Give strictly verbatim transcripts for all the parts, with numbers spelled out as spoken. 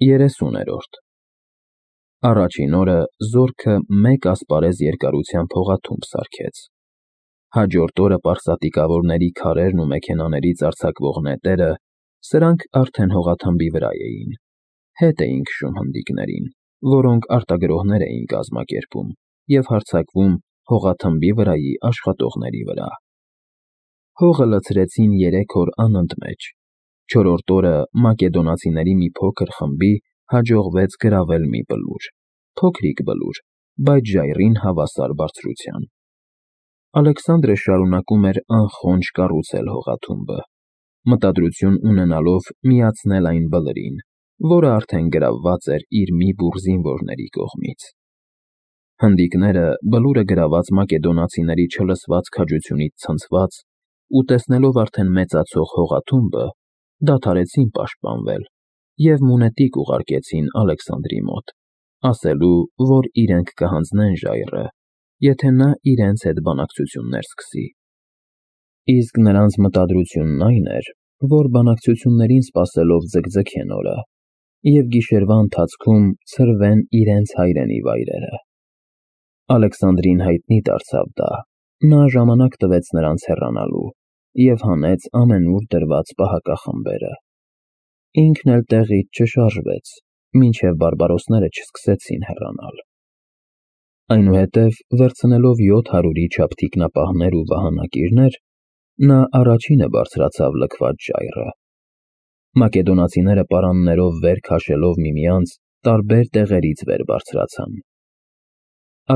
Երեսուներորդ Առաջին օրը զորքը մեկ ասպարեզ երկարությամբ հողաթումբ սարքեց։ Հաջորդ օրը պարսատիկավորների քարերն ու մեքենաներից արձակվող նետերը, սրանք արդեն հողաթմբի վրա էին, հետ էին քշում հնդիկներին, որոնք արտագրողներ էին կազմակերպում և հարձակվում հողաթմբի վրայի աշխատողների վրա։ Հողը լցրեցին երեք օր անընդմեջ։ Չորրորդ օրը մակեդոնացիների մի փոքր խմբի հաջողվեց գրավել մի բլուր, փոքրիկ բլուր, բայց ժայռին հավասար բարձրության։ Ալեքսանդրը շարունակում էր անխոնջ կառուցել հողաթումբը, մտադրություն ունենալով միացնել այն բլրին, որը արդեն գրավված էր իր մի բուռ զինվորների կողմից։ Հնդիկները, բլուրը գրաված մակեդոնացիների չլսված քաջությունից ցնցված ու տեսնելով արդեն մեծացող հողաթումբը, դադարեցին պաշտպանվել և մունետիկ ուղարկեցին Ալեքսանդրի մոտ, ասելու, որ իրենք կհանձնեն ժայռը, եթե նա իրենց հետ բանակցություններ սկսի։ Իսկ նրանց մտադրությունն այն էր, որ բանակցություններին սպասելով ձգձգեն օրը և գիշերվա ընթացքում ցրվեն իրենց հայրենի վայրերը։ Ալեքսանդրին հայտնի դարձավ դա, նա ժամանակ տվեց նրանց հեռանալու և հանեց ամենուր դրված պահակախմբերը։ Ինքն էլ տեղից չշարժվեց, մինչև բարբարոսները չսկսեցին հեռանալ։ Այնուհետև, վերցնելով յոթ հարյուրի չափ թիկնապահներ ու վահանակիրներ, նա առաջինը բարձրացավ լքված ժայռը։ Մակեդոնացիները պարաններով վեր քաշելով միմյանց, տարբեր տեղերից վեր բարձրացան։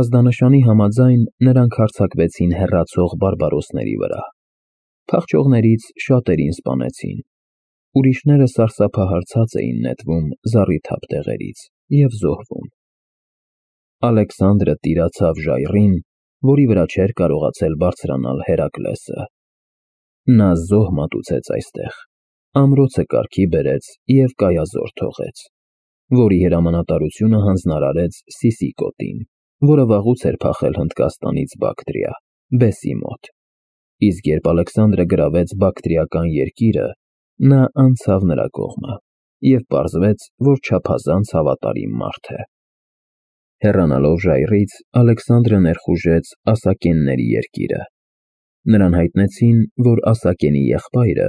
Ազդանշանի համաձայն նրանք հարձակվեցին հեռացող բարբարոսների վրա։ Փախչողներից շատերին սպանեցին, ուրիշները սարսափահարցած էին նետվում զառիթափ տեղերից և զոհվում։ Ալեքսանդրը տիրացավ ժայռին, որի վրա չէր կարողացել բարձրանալ Հերակլեսը։ Նա զոհ մատուցեց այստեղ, ամրոցը կարգի բերեց և կայազոր թողեց, որի հրամանատարությունը հանձնարարեց Սիսիկոտին, որը վաղուց էր փախել Հնդկաստանից Բակտրիա, Բեսի մոտ։ Իսկ երբ Ալեքսանդրը գրավեց բակտրիական երկիրը, նա անցավ նրա կողմը, և պարզվեց, որ չափազանց հավատարիմ մարդ է։ Հեռանալով ժայռից, Ալեքսանդրը ներխուժեց Ասակենների երկիրը։ Նրան հայտնեցին, որ Ասակենի եղբայրը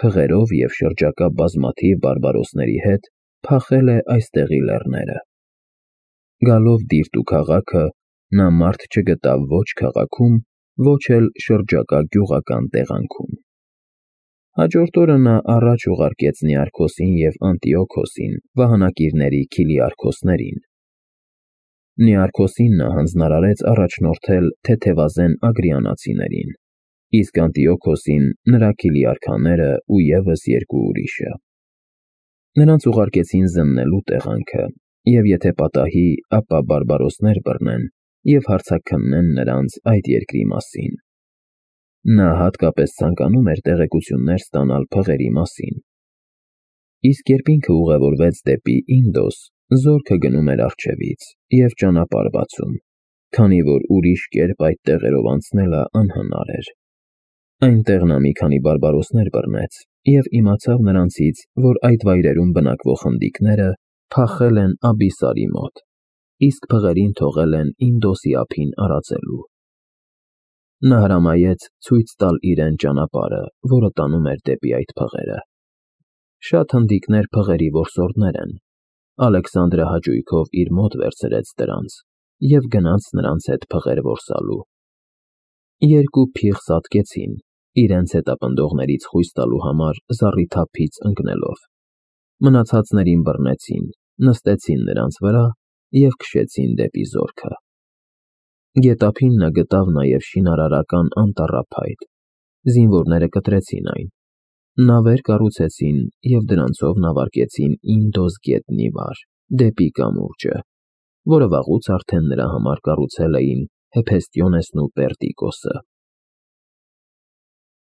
փղերով և շրջակա բազմաթիվ բարբարոսների հետ փախել է այստեղի լեռները։ Գալով Դիրտու քաղաքը, նա մարդ չգտավ ոչ քաղաքում, ոչ էլ շրջակա գյուղական տեղանքում։ Հաջորդ օրը նա առաջ ուղարկեց Նիարքոսին և Անտիոքոսին վահանակիրների Քիլիարքոսներին։ Նիարքոսին նա հանձնարարեց առաջնորդել թեթևազեն ագրիանացիներին, իսկ Անտիոքոսին նրա քիլիարքաները ու ևս երկու ուրիշը։ Նրանց ուղարկեցին զննելու տեղանքը, և եթե պատահի, ապա բարբարոսներ բռնեն և հարձակքննեն նրանց այդ երկրի մասին։ Նա հատկապես ցանկանում էր տեղեկություններ ստանալ փղերի մասին։ Իսկ երբ ինքը ուղևորվեց դեպի Ինդոս, զորքը գնում էր առջևից և ճանապարհ բացում, քանի որ ուրիշ կերպ այդ տեղերով անցնելը անհնար էր։ Այնտեղ նա մի քանի բարբարոսներ բռնեց և իմացավ նրանցից, որ այդ վայրերում բնակվող հնդիկները փախել են Աբիսարի մոտ, իսկ փղերին թողել են Ինդոսի ափին արածելու։ Նա հրամայեց ցույց տալ իրեն ճանապարհը, որը տանում էր դեպի այդ փղերը։ Շատ հնդիկներ փղերի որսորդներ են։ Ալեքսանդրը հաճույքով իր մոտ վերցրեց դրանց և գնաց նրանց հետ փղեր որսալու։ Երկու փիղ սատկեցին, իրենց հետապնդողներից խույս տալու համար զառիթափից ընկնելով։ Մնացածներին բռնեցին, նստեցին նրանց վրա և քշեցին դեպի զորքը։ Գետափին նա գտավ նաև շինարարական անտառափայտ։ Զինվորները կտրեցին այն։ Նավեր կառուցեցին և դրանցով նավարկեցին Ինդոս գետնի վար, դեպի կամուրջը, որը վաղուց արդեն նրա համար կառուցել էին Հեփեստիոնեսն ու Պերդիկոսը։